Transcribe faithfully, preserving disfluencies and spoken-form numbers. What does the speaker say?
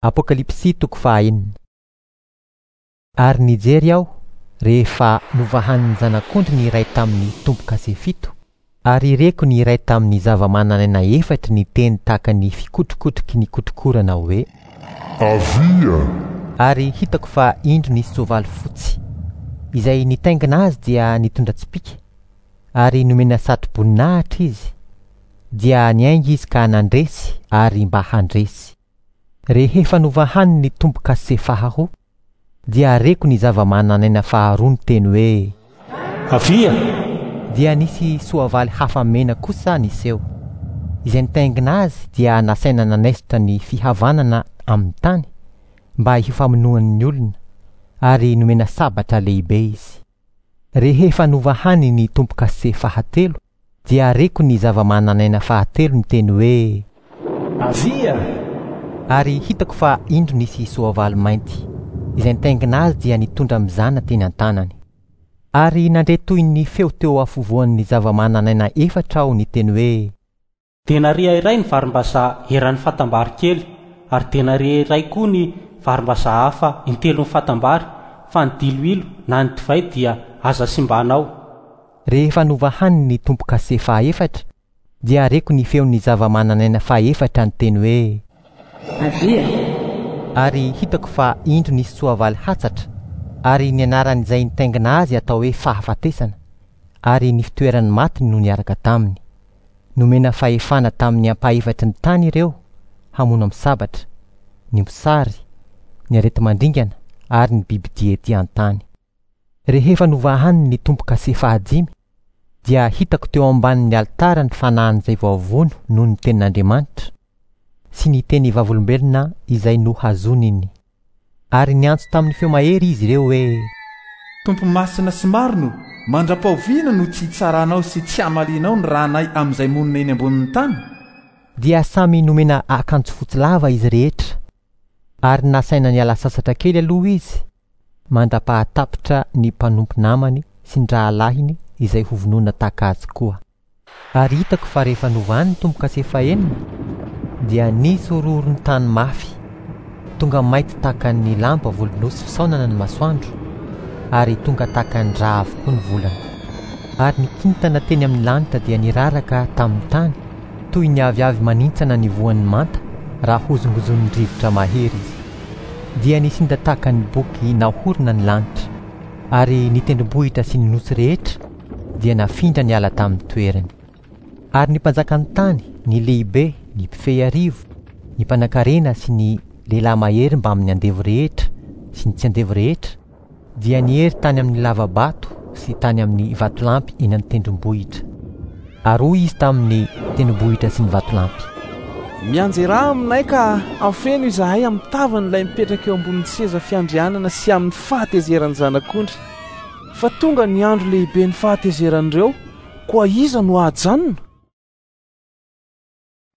Apokalypsy toko fahaenina. Ary nijery aho rehefa novahan'ny zanak'ondry ny iray tamin'ny tombo-kase fito, ary reko ny iray tamin'ny zava-manan'aina efatry niteny tahaka ny fikotrokotroky ny kotrokorana hoe: "Avia!" Ary hitako fa indro nisy soavaly fotsy. Izay nitaingina azy dia nitondra tsipìka, ary nomena satroboninahitra izy. Dia niainga izy ka nandresy ary mba handresy. Rehefa novahany ny tombo-kase faharoa, dia reko ny zava-manan'aina faharoa niteny hoe: "Avia!" Dia nisy soavaly hafa mena kosa niseho. Izay nitaingina azy dia nasaina nanaisotra ny fihavanana amin'ny tany mba hifamonoan'ny olona, ary nomena sabatra lehibe izy. Rehefa novahany ny tombo-kase fahatelo, dia reko ny zava-manan'aina fahatelo niteny hoe: "Avia!" Ary hitako fa indro nisy soavaly mainty. Izay nitaingina azy dia nitondra mizana teny an-tanany. Ary nandre toy ny feo teo afovoan'ny zava-manan'aina efatra aho niteny hoe: "Denaria iray ny varimbazaha eran'ny fatam-bary kely, ary denaria iray koa ny varimbazaha hafa intelon'ny fatam-bary, fa ny diloilo na ny divay dia aza simbanao." Rehefa novahany ny tombo-kase fahaefatra, dia reko ny feon'ny zava-manan'aina fahaefatra niteny hoe: "Avia!" Ary hitako fa indro nisy soavaly hatsatra, ary ny anaran'izay nitaingina azy atao hoe fahafatesana, ary ny fitoeran'ny maty no niaraka taminy. Nomena fahefana tamin'ny ampahefatry ny tany ireo hamono amin'ny sabatra, ny mosary, ny areti-mandringana ary ny bibidia ety an-tany. Rehefa novahany ny tombo-kase fahadimy, dia hitako teo ambanin'ny alitara ny fanahin'izay voavono noho ny tenin'Andriamanitra sy ny teny vavolombelona izay nohazoniny. Ary niantso tamin'ny feo mahery izy ireo hoe: "Tompo masina sy marina, mandra-pahoviana no tsy hitsaranao sy tsy hamalianao ny ranay amin'izay monina eny ambonin'ny tany?" Dia samy nomena akanjo fotsy lava izy rehetra, ary nasaina niala sasatra kely aloha izy, mandra-pahatapitra ny mpanompo namany sy ny rahalahiny izay hovonoina tahaka azy koa. Ary hitako fa rehefa novahany ny tombo-kase fahenina, dia nisy horohoron-tany mafy, tonga mainty tahaka ny lamba volon'osy fisaonana ny masoandro, ary tonga tahaka ny rà avokoa ny volana. Ary ny kintana teny amin'ny lanitra dia niraraka tamin'ny tany, toy ny aviavy manintsana ny voan'ny manta raha hozongozonin'ny rivotra mahery izy. Dia nisinda tahaka ny boky nahorona ny lanitra, ary ny tendrombohitra sy ny nosy rehetra dia nafindra niala tamin'ny toerany. Ary ny mpanjakan'ny tany, ny lehibe, ny mpifehy arivo, ny mpanankarena sy ny lehilahy mahery mbamin'ny andevo rehetra sy ny tsy andevo rehetra, dia niery tany amin'ny lava-bato sy tany amin'ny vatolampy eny an-tendrombohitra. Ary hoy izy tamin'ny tendrombohitra sy ny vatolampy: "Mianjerà aminay ka afeno izahay amin'ny tavan'ilay mipetraka eo ambonin'ny seza fiandrianana sy amin'ny fahatezeran'ny zanak'ondry. Fa tonga ny andro lehibe ny fahatezeran'ireo, koa iza no hahajanona?"